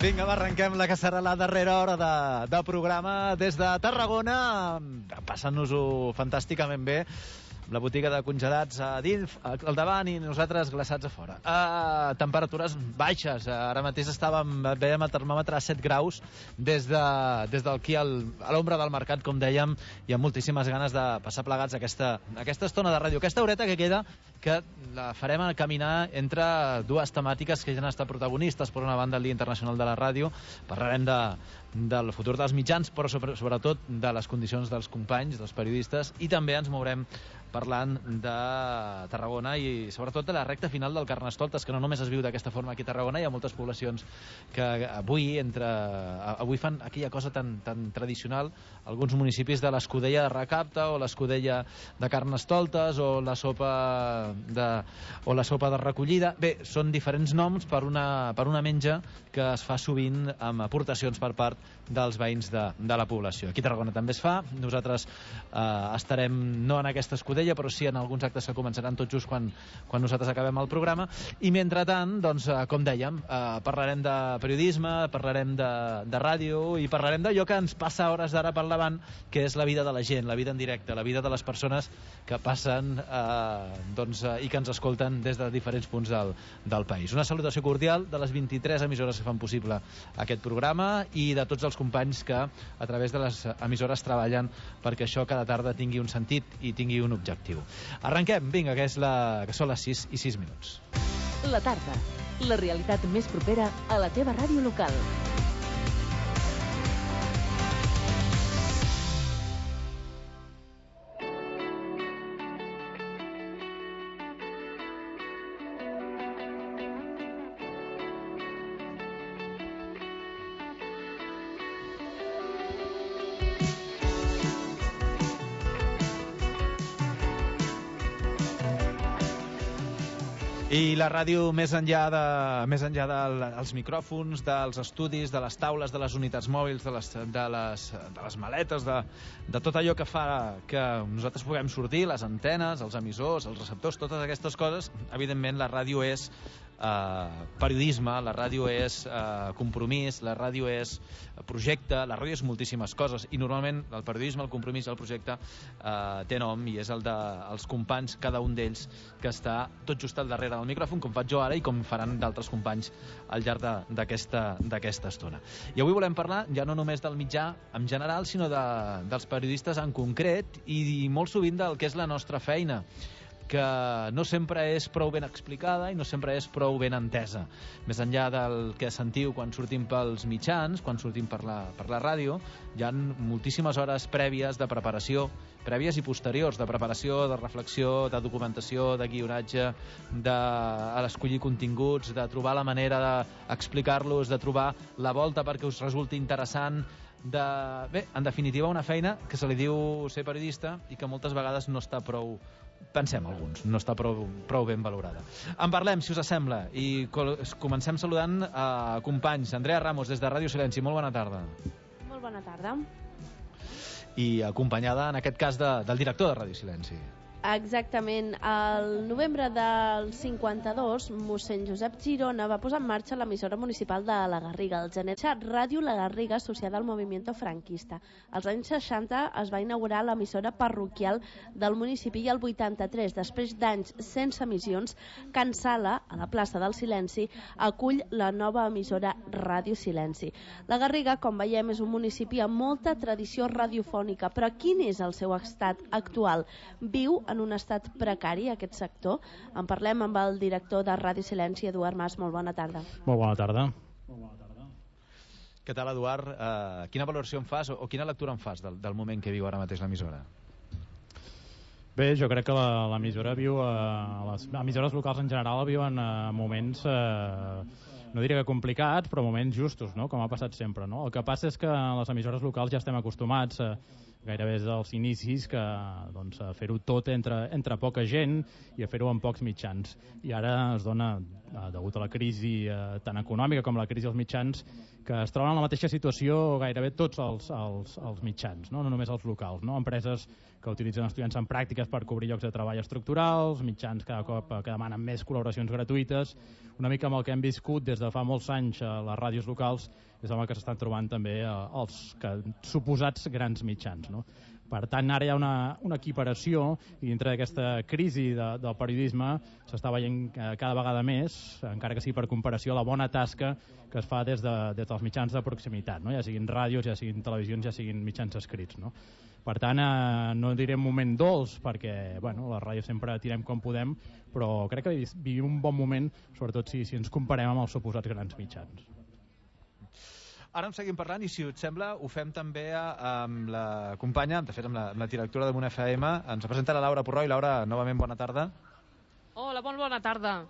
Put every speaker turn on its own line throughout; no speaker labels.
Vinga, va, arrenquem la que serà la darrera hora de programa des de Tarragona, passant-nos-ho fantàsticament bé, amb la botiga de congelats a dins, al davant, i nosaltres glaçats a fora. Temperatures baixes, ara mateix veiem el termòmetre a 7 graus des d'aquí a l'ombra del mercat, com dèiem, i amb moltíssimes ganes de passar plegats aquesta estona de ràdio, aquesta horeta que queda, que la farem a caminar entre dues temàtiques que ja han estat protagonistes. Per una banda, el Dia Internacional de la Ràdio, parlarem del futur dels mitjans, però sobretot de les condicions dels companys, dels periodistes, i també ens mourem parlant de Tarragona i sobretot de la recta final del Carnestoltes, que no només es viu d'aquesta forma aquí a Tarragona. Hi ha moltes poblacions que avui fan aquella cosa tan tradicional, alguns municipis de l'Escudella de Recapta o l'Escudella de Carnestoltes o la sopa de recollida. Bé, són diferents noms per una menja que es fa sovint amb aportacions per part dels veïns de la població. Aquí a Tarragona també es fa. Nosaltres estarem no en aquesta escudella, però sí en alguns actes que començaran tot just quan nosaltres acabem el programa. I mentrestant, doncs, com dèiem, parlarem de periodisme, parlarem de ràdio i parlarem d'allò que ens passa a hores d'ara per davant, que és la vida de la gent, la vida en directe, la vida de les persones que passen i que ens escolten des de diferents punts del país. Una salutació cordial de les 23 emissores que fan possible aquest programa i de tots els companys que a través de les emissores treballen perquè això cada tarda tingui un sentit i tingui un objectiu. Arrenquem, vinga, que són les 6:06.
La tarda, la realitat més propera a la teva ràdio local.
I la ràdio, més enllà dels micròfons, dels estudis, de les taules, de les unitats mòbils, de les maletes, de tot allò que fa que nosaltres puguem sortir, les antenes, els emissors, els receptors, totes aquestes coses, evidentment la ràdio és periodisme, la ràdio és compromís, la ràdio és projecte, la ràdio és moltíssimes coses, i normalment el periodisme, el compromís i el projecte té nom, i és el dels companys, cada un d'ells, que està tot just al darrere del micròfon, com faig jo ara i com faran d'altres companys al llarg d'aquesta estona. I avui volem parlar ja no només del mitjà en general, sinó dels periodistes en concret, i molt sovint del que és la nostra feina, que no sempre és prou ben explicada i no sempre és prou ben entesa. Més enllà del que sentiu quan sortim pels mitjans, quan sortim per la ràdio, hi ha moltíssimes hores prèvies de preparació, prèvies i posteriors, de preparació, de reflexió, de documentació, de guionatge, d'escollir continguts, de trobar la manera d'explicar-los, de trobar la volta perquè us resulti interessant, bé, en definitiva, una feina que se li diu ser periodista i que moltes vegades no està prou, pensem alguns, no està prou ben valorada. En parlem, si us sembla, i comencem saludant companys. Andrea Ramos, des de Ràdio Silenci, molt bona tarda.
Molt bona tarda.
I acompanyada, en aquest cas, del director de Ràdio Silenci.
Exactament. Al novembre del 52, mossèn Josep Girona va posar en marxa l'emissora municipal de la Garriga, el Genetxat Ràdio La Garriga, associada al movimiento franquista. Als anys 60 es va inaugurar l'emissora parroquial del municipi i el 83, després d'anys sense emissions, Can Sala, a la plaça del Silenci, acull la nova emissora Ràdio Silenci. La Garriga, com veiem, és un municipi amb molta tradició radiofònica, però quin és el seu estat actual? Viu en un estat precari aquest sector? En parlem amb el director de Ràdio Silenci, Eduard Mas. Molt bona tarda.
Molt bona tarda.
Què tal, Eduard? Quina valoració en fas o quina lectura en fas del moment que viu ara mateix l'emissora?
Bé, jo crec que l'emissora viu, les emissores locals en general viuen moments, no diré que complicats, però moments justos, no? Com ha passat sempre, no? El que passa és que les emissores locals ja estem acostumats gairebé des dels inicis a fer-ho tot entre poca gent i a fer-ho amb pocs mitjans, i ara es dona degut a la crisi tant econòmica com la crisi dels mitjans, que es troben en la mateixa situació gairebé tots els mitjans, no només els locals, no? Empreses que utilitzen estudiants en pràctiques per cobrir llocs de treball estructurals, mitjans cada cop que demanen més col·laboracions gratuïtes, una mica amb el que hem viscut des de fa molts anys a les ràdios locals, és amb el que s'estan trobant també els suposats grans mitjans, no? Per tant, ara hi ha una equiparació i dintre d'aquesta crisi del periodisme s'està veient cada vegada més, encara que sigui per comparació, la bona tasca que es fa des dels mitjans de proximitat, no? Ja siguin ràdios, ja siguin televisions, ja siguin mitjans escrits, no? Per tant, no diré un moment dolç, perquè les ràdios sempre tirem com podem, però crec que vivim un bon moment, sobretot si ens comparem amb els suposats grans mitjans.
Ara en seguim parlant i, si us sembla, ho fem també amb la companya, de fet amb la directora de Munt FM. Ens presenta la Laura Purroi. Laura, novament bona tarda.
Hola, bona tarda.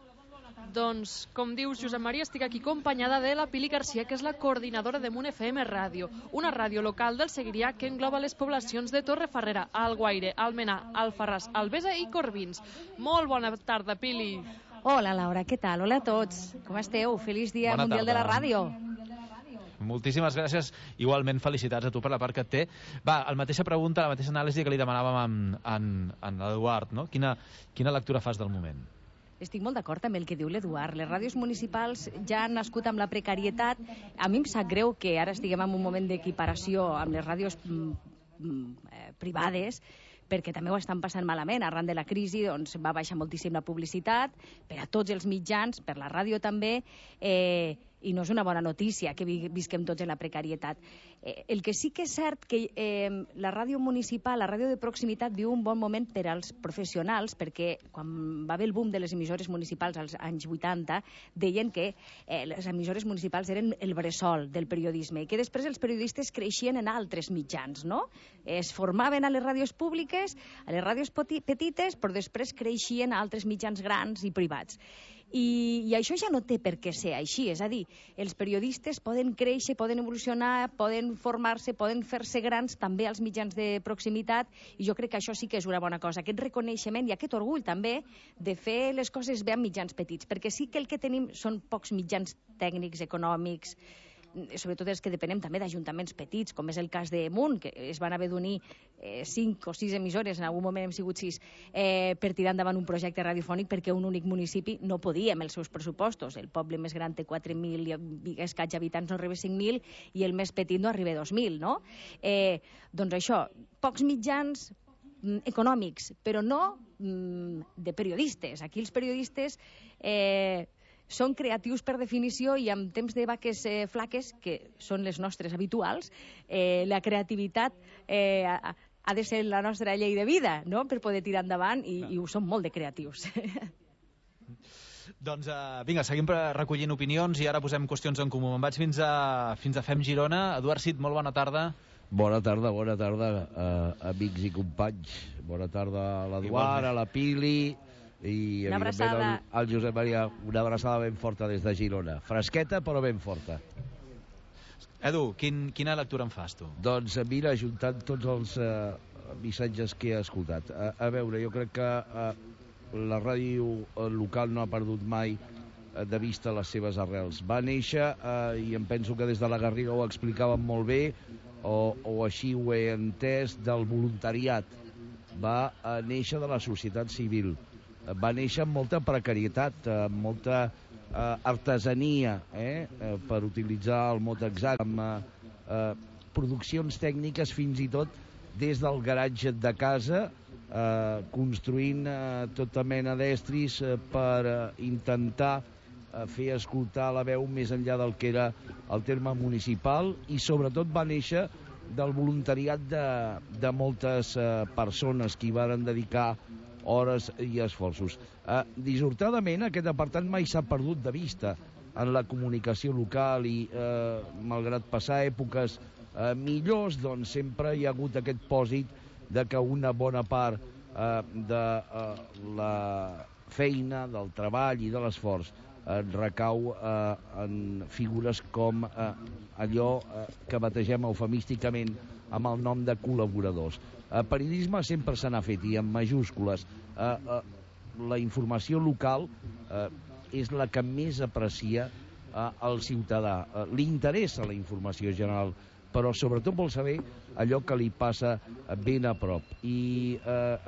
Doncs, com dius, Josep Maria, estic aquí acompanyada de la Pili Garcia, que és la coordinadora de Munt FM Ràdio, una ràdio local del Segrià que engloba les poblacions de Torrefarrera, Alguaire, Almenar, Alfarràs, Albesa i Corbins. Molt bona tarda, Pili.
Hola, Laura, què tal? Hola a tots. Com esteu? Feliç Dia Mundial de la Ràdio.
Moltíssimes gràcies. Igualment, felicitats a tu per la part que et té. Va, la mateixa pregunta, la mateixa anàlisi que li demanàvem a l'Eduard, no? Quina lectura fas del moment?
Estic molt d'acord amb el que diu l'Eduard. Les ràdios municipals ja han nascut amb la precarietat. A mi em sap greu que ara estiguem en un moment d'equiparació amb les ràdios privades, perquè també ho estan passant malament. Arran de la crisi va baixar moltíssim la publicitat per a tots els mitjans, per la ràdio també, i no és una bona notícia que visquem tots en la precarietat. El que sí que és cert que la ràdio municipal, la ràdio de proximitat, viu un bon moment per als professionals, perquè quan va haver el boom de les emissores municipals als anys 80, deien que les emissores municipals eren el bressol del periodisme, i que després els periodistes creixien en altres mitjans, no? Es formaven a les ràdios públiques, a les ràdios petites, però després creixien a altres mitjans grans i privats. I això ja no té per què ser així, és a dir, els periodistes poden créixer, poden evolucionar, poden formar-se, poden fer-se grans també als mitjans de proximitat, i jo crec que això sí que és una bona cosa, aquest reconeixement i aquest orgull també de fer les coses bé amb mitjans petits, perquè sí que el que tenim són pocs mitjans tècnics, econòmics, sobretot els que depenem també d'ajuntaments petits, com és el cas de Munt, que es van haver d'unir 5 o 6 emissores, en algun moment hem sigut 6, per tirar endavant un projecte radiofònic, perquè un únic municipi no podia amb els seus pressupostos. El poble més gran té 4.000 i escaig habitants, no arriba a 5.000, i el més petit no arriba a 2.000, no? Doncs això, pocs mitjans econòmics, però no de periodistes. Aquí els periodistes són creatius per definició, i en temps de vaques flaques, que són les nostres habituals, la creativitat ha de ser la nostra llei de vida, no?, per poder tirar endavant, i ho som molt de creatius.
Doncs vinga, seguim recollint opinions i ara posem qüestions en comú. Me'n vaig fins a FEM Girona. Eduard Cid, molt bona tarda.
Bona tarda, amics i companys. Bona tarda a l'Eduard, a la Pili i
una abraçada
al Josep Maria. Una abraçada ben forta des de Girona. Fresqueta però ben forta.
Edu, quina lectura en fas tu?
Doncs mira, ajuntant tots els missatges que he escoltat. A veure, jo crec que la ràdio local no ha perdut mai de vista les seves arrels. Va néixer, i em penso que des de la Garriga ho explicaven molt bé, o així ho he entès, del voluntariat. Va néixer de la societat civil. Va néixer amb molta precarietat, amb molta artesania, per utilitzar el mot exacte, amb produccions tècniques fins i tot des del garatge de casa, construint tota mena d'estris per intentar fer escoltar la veu més enllà del que era el terme municipal, i sobretot va néixer del voluntariat de moltes persones que hi varen dedicar hores i esforços. Dissortadament, aquest apartat mai s'ha perdut de vista en la comunicació local, i malgrat passar èpoques millors, doncs sempre hi ha hagut aquest pòsit de que una bona part de la feina, del treball i de l'esforç recau en figures com allò que bategem eufemísticament amb el nom de col·laboradors. Periodisme sempre se n'ha fet, i en majúscules. La informació local és la que més aprecia el ciutadà. Li interessa la informació general, però sobretot vol saber allò que li passa ben a prop. I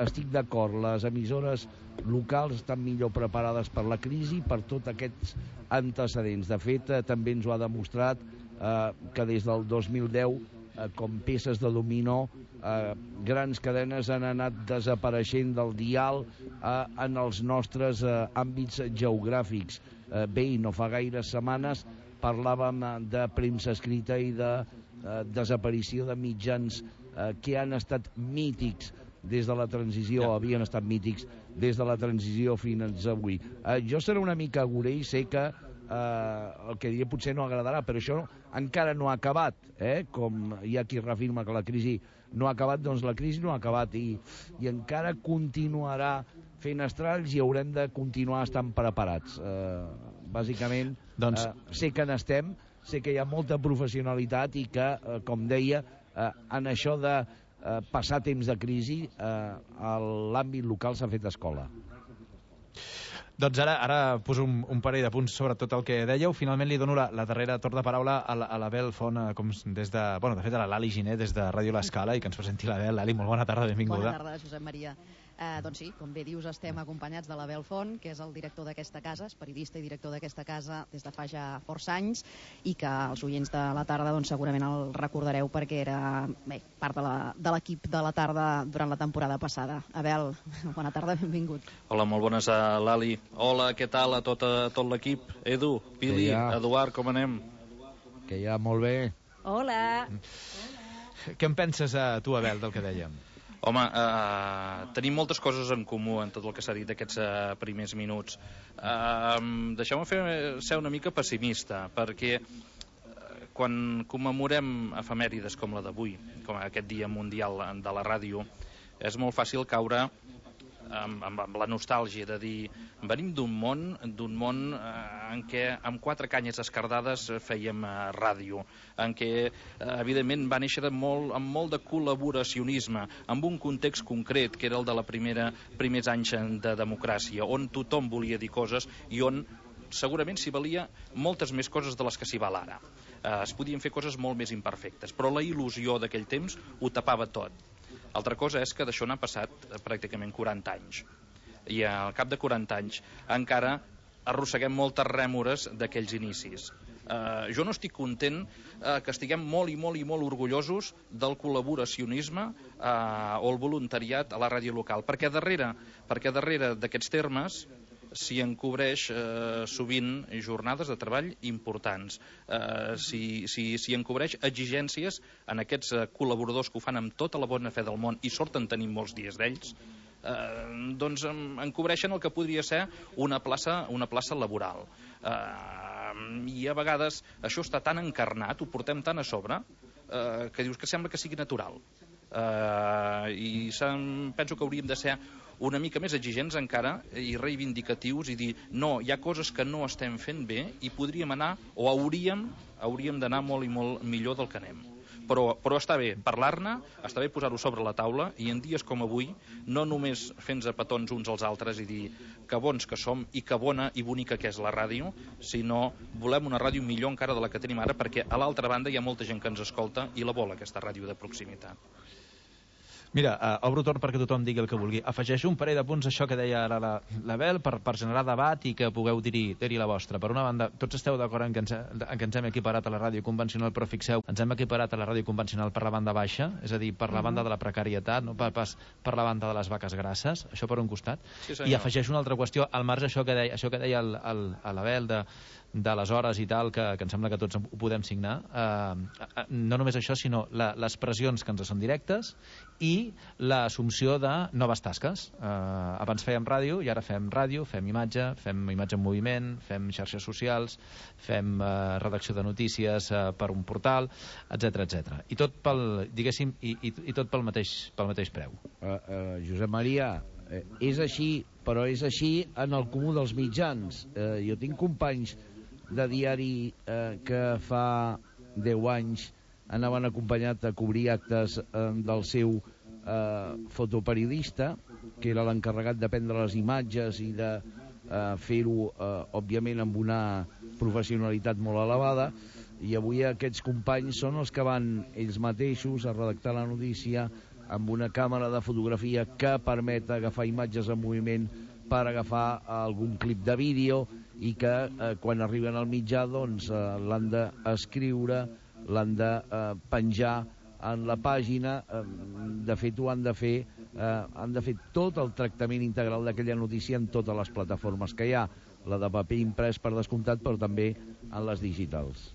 estic d'acord, les emissores locals estan millor preparades per la crisi, per tots aquests antecedents. De fet, també ens ho ha demostrat que des del 2010, com peces de dominó, grans cadenes han anat desapareixent del dial en els nostres àmbits geogràfics. Bé, i no fa gaires setmanes parlàvem de premsa escrita i de desaparició de mitjans que han estat mítics des de la transició, havien estat mítics des de la transició fins avui. Jo seré una mica agorell, sé que el que diré potser no agradarà, però això encara no ha acabat, com hi ha qui reafirma que la crisi no ha acabat, doncs la crisi no ha acabat i encara continuarà fent estralls i haurem de continuar estant preparats. Bàsicament, sé que n'estem, sé que hi ha molta professionalitat i que, com deia, en això de passar temps de crisi, l'àmbit local s'ha fet escola.
Doncs ara poso un parell de punts sobre tot el que dèieu. Finalment li dono la darrera torn de paraula a l'Abel Font, des de... Bueno, de fet, a l'Ali Giner, des de Ràdio L'Escala, i que ens presenti l'Abel. Lali, molt bona tarda, benvinguda.
Bona tarda, Josep Maria. Doncs sí, com bé dius, estem acompanyats de l'Abel Font, que és el director d'aquesta casa, és periodista i director d'aquesta casa des de fa ja força anys, i que els oients de la tarda doncs, segurament el recordareu perquè era part de l'equip de la tarda durant la temporada passada. Abel, bona tarda, benvingut.
Hola, molt bones a l'Ali. Hola, què tal a tot l'equip? Edu, Pili, Eduard, com anem?
Que ja, molt bé.
Hola.
Què en penses tu, Abel, del que dèiem?
Home, tenim moltes coses en comú en tot el que s'ha dit d'aquests primers minuts. Deixeu-me ser una mica pessimista, perquè quan commemorem efemèrides com la d'avui, com aquest Dia Mundial de la Ràdio, és molt fàcil caure amb la nostàlgia de dir venim d'un món en què amb 4 canyes escardades fèiem ràdio, en què evidentment va néixer amb molt de col·laboracionisme, amb un context concret que era el de la primers anys de democràcia, on tothom volia dir coses i on segurament s'hi valia moltes més coses de les que s'hi val ara. Es podien fer coses molt més imperfectes, però la il·lusió d'aquell temps ho tapava tot. Altra cosa és que d'això n'ha passat pràcticament 40 anys. I al cap de 40 anys encara arrosseguem moltes rèmores d'aquells inicis. Jo no estic content que estiguem molt i molt orgullosos del col·laboracionisme o el voluntariat a la ràdio local, perquè darrere d'aquests termes s'hi encobreix sovint jornades de treball importants, s'hi encobreix exigències en aquests col·laboradors que ho fan amb tota la bona fe del món i sort en tenim molts dies d'ells, doncs encobreixen el que podria ser una plaça laboral. I a vegades això està tan encarnat, ho portem tan a sobre, que dius que sembla que sigui natural. I penso que hauríem de ser una mica més exigents encara i reivindicatius i dir no, hi ha coses que no estem fent bé i podríem anar o hauríem d'anar molt i molt millor del que anem. Però està bé parlar-ne, està bé posar-ho sobre la taula i en dies com avui no només fent-nos petons uns als altres i dir que bons que som i que bona i bonica que és la ràdio, sinó volem una ràdio millor encara de la que tenim ara, perquè a l'altra banda hi ha molta gent que ens escolta i la vol, aquesta ràdio de proximitat.
Mira, obro torn perquè tothom digui el que vulgui. Afegeixo un parell de punts a això que deia ara l'Abel per generar debat i que pugueu dir-hi la vostra. Per una banda, tots esteu d'acord en que ens hem equiparat a la ràdio convencional, però fixeu, ens hem equiparat a la ràdio convencional per la banda baixa, és a dir, per la banda de la precarietat, no pas per la banda de les vaques grasses, això per un costat.
Sí,
i afegeixo una altra qüestió, al marge això que deia l'Abel de les hores i tal, que em sembla que tots ho podem signar, no només això, sinó les pressions que ens són directes i l'assumpció de noves tasques. Abans fèiem ràdio i ara fem ràdio, fem imatge en moviment, fem xarxes socials, fem redacció de notícies per un portal, etc. I tot pel mateix preu.
Josep Maria, és així, però és així en el comú dels mitjans. Jo tinc companys de diari que fa 10 anys anaven acompanyat a cobrir actes del seu fotoperiodista, que era l'encarregat de prendre les imatges i de fer-ho, òbviament, amb una professionalitat molt elevada, i avui aquests companys són els que van ells mateixos a redactar la notícia amb una càmera de fotografia que permet agafar imatges en moviment per agafar algun clip de vídeo, i que quan arriben al mitjà doncs l'han d'escriure, l'han de penjar en la pàgina. De fet ho han de fer tot el tractament integral d'aquella notícia en totes les plataformes que hi ha, la de paper imprès per descomptat, però també en les digitals.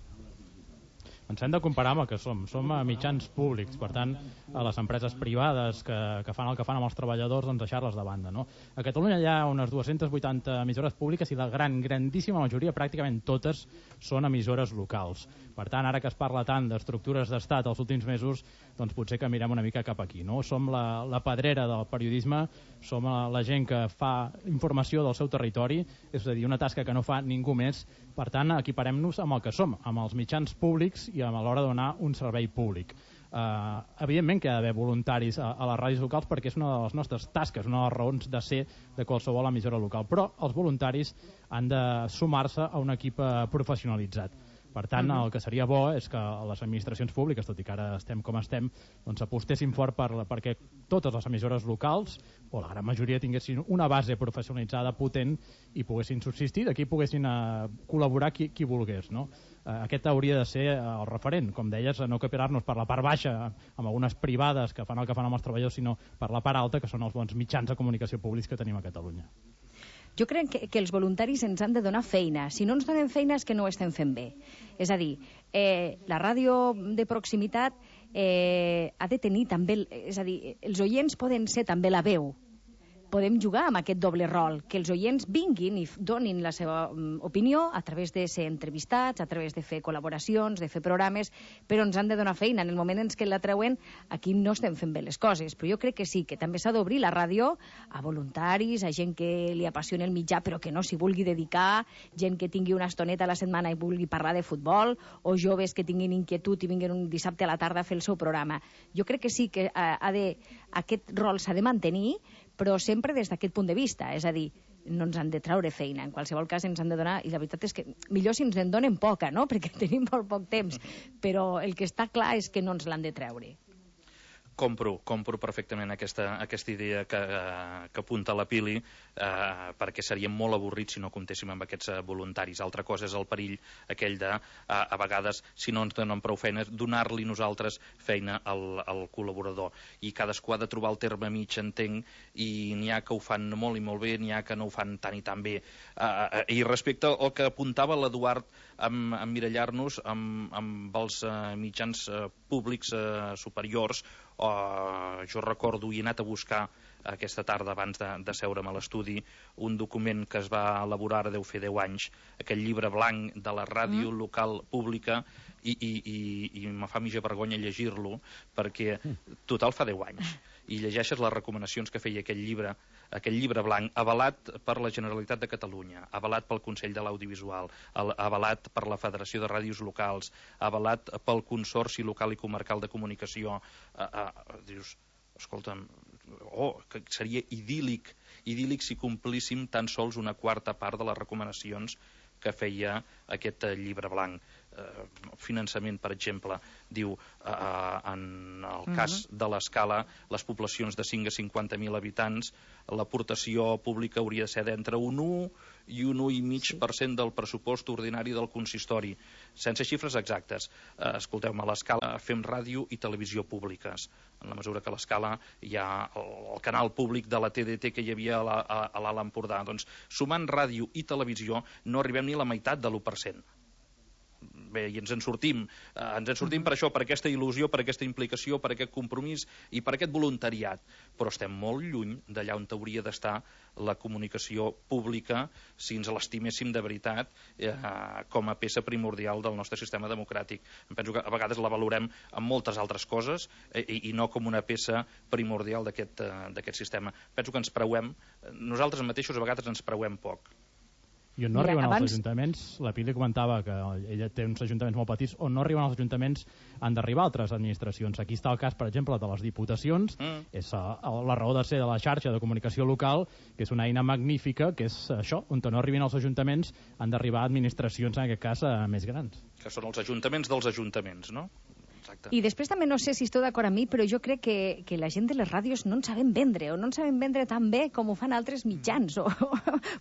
Ens hem de comparar amb el que som mitjans públics, per tant, a les empreses privades que fan el que fan amb els treballadors, doncs deixar-les de banda, no? A Catalunya hi ha unes 280 emissores públiques i la grandíssima majoria, pràcticament totes, són emissores locals. Per tant, ara que es parla tant d'estructures d'estat els últims mesos, doncs potser que mirem una mica cap aquí, no? Som la pedrera del periodisme, som la gent que fa informació del seu territori, és a dir, una tasca que no fa ningú més. Per tant, equiparem-nos amb el que som, amb els mitjans públics i a l'hora de donar un servei públic. Evidentment que hi ha d'haver voluntaris a les ràdios locals, perquè és una de les nostres tasques, una de les raons de ser de qualsevol emissora local, però els voluntaris han de sumar-se a un equip professionalitzat. Per tant, el que seria bo és que les administracions públiques, tot i que ara estem com estem, doncs apostessin fort perquè totes les emissores locals, o la gran majoria, tinguessin una base professionalitzada potent i poguessin subsistir, d'aquí poguessin col·laborar qui volgués, no? Aquest hauria de ser el referent, com deies, no capilar-nos per la part baixa amb algunes privades que fan el que fan amb els treballadors, sinó per la part alta, que són els bons mitjans de comunicació públics que tenim a Catalunya.
Jo crec que els voluntaris ens han de donar feina. Si no ens donen feina és que no ho estem fent bé. És a dir, la ràdio de proximitat ha de tenir també... És a dir, els oients poden ser també la veu. Podem jugar amb aquest doble rol, que els oients vinguin i donin la seva opinió a través de ser entrevistats, a través de fer col·laboracions, de fer programes, però ens han de donar feina. En el moment en què la treuen, aquí no estem fent bé les coses. Però jo crec que sí, que també s'ha d'obrir la ràdio a voluntaris, a gent que li apassiona el mitjà però que no s'hi vulgui dedicar, gent que tingui una estoneta a la setmana i vulgui parlar de futbol, o joves que tinguin inquietud i vinguin un dissabte a la tarda a fer el seu programa. Jo crec que sí que aquest rol s'ha de mantenir, però sempre des d'aquest punt de vista, és a dir, no ens han de traure feina, en qualsevol cas ens han de donar, i la veritat és que millor si ens en donen poca, no?, perquè tenim molt poc temps, però el que està clar és que no ens l'han de treure.
Compro perfectament aquesta idea que apunta la Pili, perquè seria molt avorrit si no comptéssim amb aquests voluntaris. Altra cosa és el perill aquell de, a vegades, si no ens donen prou feines, donar-li nosaltres feina al col·laborador. I cadascú ha de trobar el terme mig, entenc, i n'hi ha que ho fan molt i molt bé, n'hi ha que no ho fan tant i tan bé. I respecte al que apuntava l'Eduard, emmirallar-nos amb els mitjans públics superiors, jo recordo i he anat a buscar aquesta tarda abans de seure'm a l'estudi un document que es va elaborar, deu fer 10 anys, aquell llibre blanc de la ràdio local pública, i me fa mitja vergonya llegir-lo perquè total fa 10 anys, i llegeixes les recomanacions que feia aquell llibre blanc, avalat per la Generalitat de Catalunya, avalat pel Consell de l'Audiovisual, avalat per la Federació de Ràdios Locals, avalat pel Consorci Local i Comarcal de Comunicació. Dius, escolta'm, que seria idíl·lic si complíssim tan sols una quarta part de les recomanacions que feia aquest llibre blanc. Finançament, per exemple, diu, en el cas de l'Escala, les poblacions de 5 a 50.000 habitants, l'aportació pública hauria de ser d'entre un 1 i un 1,5% del pressupost ordinari del consistori, sense xifres exactes. Escolteu-me, a l'Escala fem ràdio i televisió públiques, en la mesura que a l'Escala hi ha el canal públic de la TDT que hi havia a l'Alt Empordà. Doncs, sumant ràdio i televisió, no arribem ni a la meitat de l'1%. Bé, i ens en sortim per això, per aquesta il·lusió, per aquesta implicació, per aquest compromís i per aquest voluntariat, però estem molt lluny d'allà on hauria d'estar la comunicació pública si ens l'estiméssim de veritat com a peça primordial del nostre sistema democràtic. Em penso que a vegades la valorem amb moltes altres coses i no com una peça primordial d'aquest sistema. Penso que ens preuem, nosaltres mateixos a vegades ens preuem poc.
I on no arriben els ajuntaments, la Pili comentava que ella té uns ajuntaments molt petits, on no arriben els ajuntaments han d'arribar altres administracions. Aquí està el cas, per exemple, de les diputacions, és la raó de ser de la xarxa de comunicació local, que és una eina magnífica, que és això, on no arribin els ajuntaments han d'arribar administracions, en aquest cas, més grans.
Que són els ajuntaments dels ajuntaments, no? Exacte.
I després també no sé si esteu d'acord amb mi, però jo crec que la gent de les ràdios no en sabem vendre, o no en sabem vendre tan bé com ho fan altres mitjans, o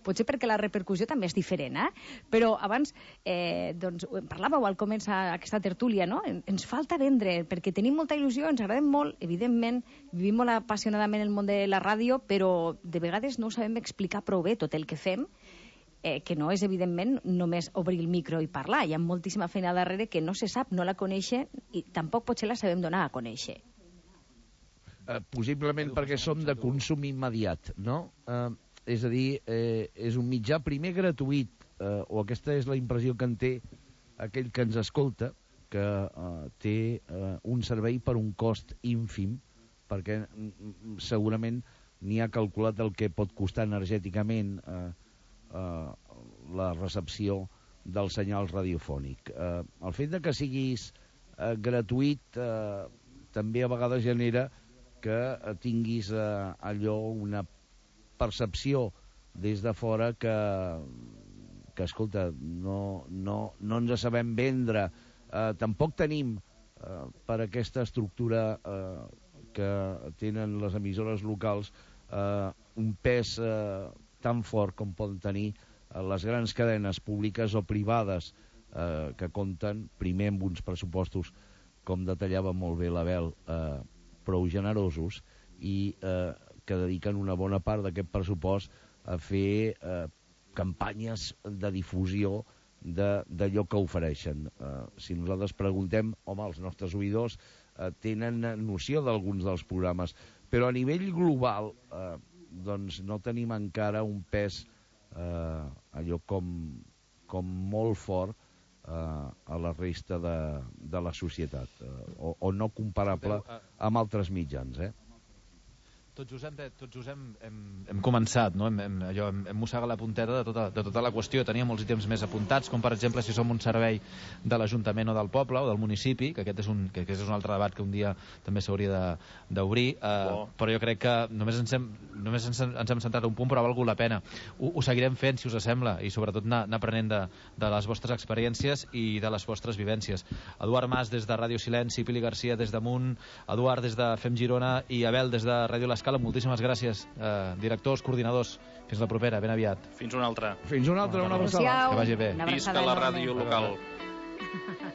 potser perquè la repercussió també és diferent, Però abans, doncs, parlàveu al començar aquesta tertúlia, no? Ens falta vendre, perquè tenim molta il·lusió, ens agradem molt, evidentment, vivim molt apassionadament el món de la ràdio, però de vegades no ho sabem explicar prou bé tot el que fem, que no és, evidentment, només obrir el micro i parlar. Hi ha moltíssima feina darrere que no se sap, no la coneixen i tampoc potser la sabem donar a conèixer.
Possiblement perquè som de consum immediat, no? És a dir, és un mitjà primer gratuït, o aquesta és la impressió que en té aquell que ens escolta, que té un servei per un cost ínfim, perquè segurament ni ha calculat el que pot costar energèticament la recepció del senyal radiofònic. El fet de que siguis gratuït també a vegades genera que tinguis allò, una percepció des de fora que escolta, no ens sabem vendre. Tampoc tenim per aquesta estructura que tenen les emissores locals un pes tan fort com poden tenir les grans cadenes públiques o privades que compten primer amb uns pressupostos, com detallava molt bé l'Abel, prou generosos, i que dediquen una bona part d'aquest pressupost a fer campanyes de difusió d'allò que ofereixen. Si nosaltres preguntem, home, els nostres oïdors tenen noció d'alguns dels programes, però a nivell global doncs no tenim encara un pes allò com molt fort a la resta de la societat, o no comparable amb altres mitjans,
Tot just hem començat, no? Hem mossegat la punteta de tota la qüestió. Teníem molts ítems més apuntats, com per exemple si som un servei de l'Ajuntament o del poble o del municipi, que aquest és un altre debat que un dia també s'hauria d'obrir, però jo crec que només ens hem centrat un punt, però ha valgut la pena. Ho seguirem fent, si us sembla, i sobretot anar aprenent de les vostres experiències i de les vostres vivències. Eduard Mas des de Ràdio Silenci, Pili Garcia des d'Amunt, Eduard des de Fem Girona i Abel des de Ràdio L'Escala. Moltíssimes gràcies, directors, coordinadors. Fins la propera, ben aviat.
Fins una altra.
Fins una altra, una abraçada.
Que vagi bé.
Visca la ràdio local.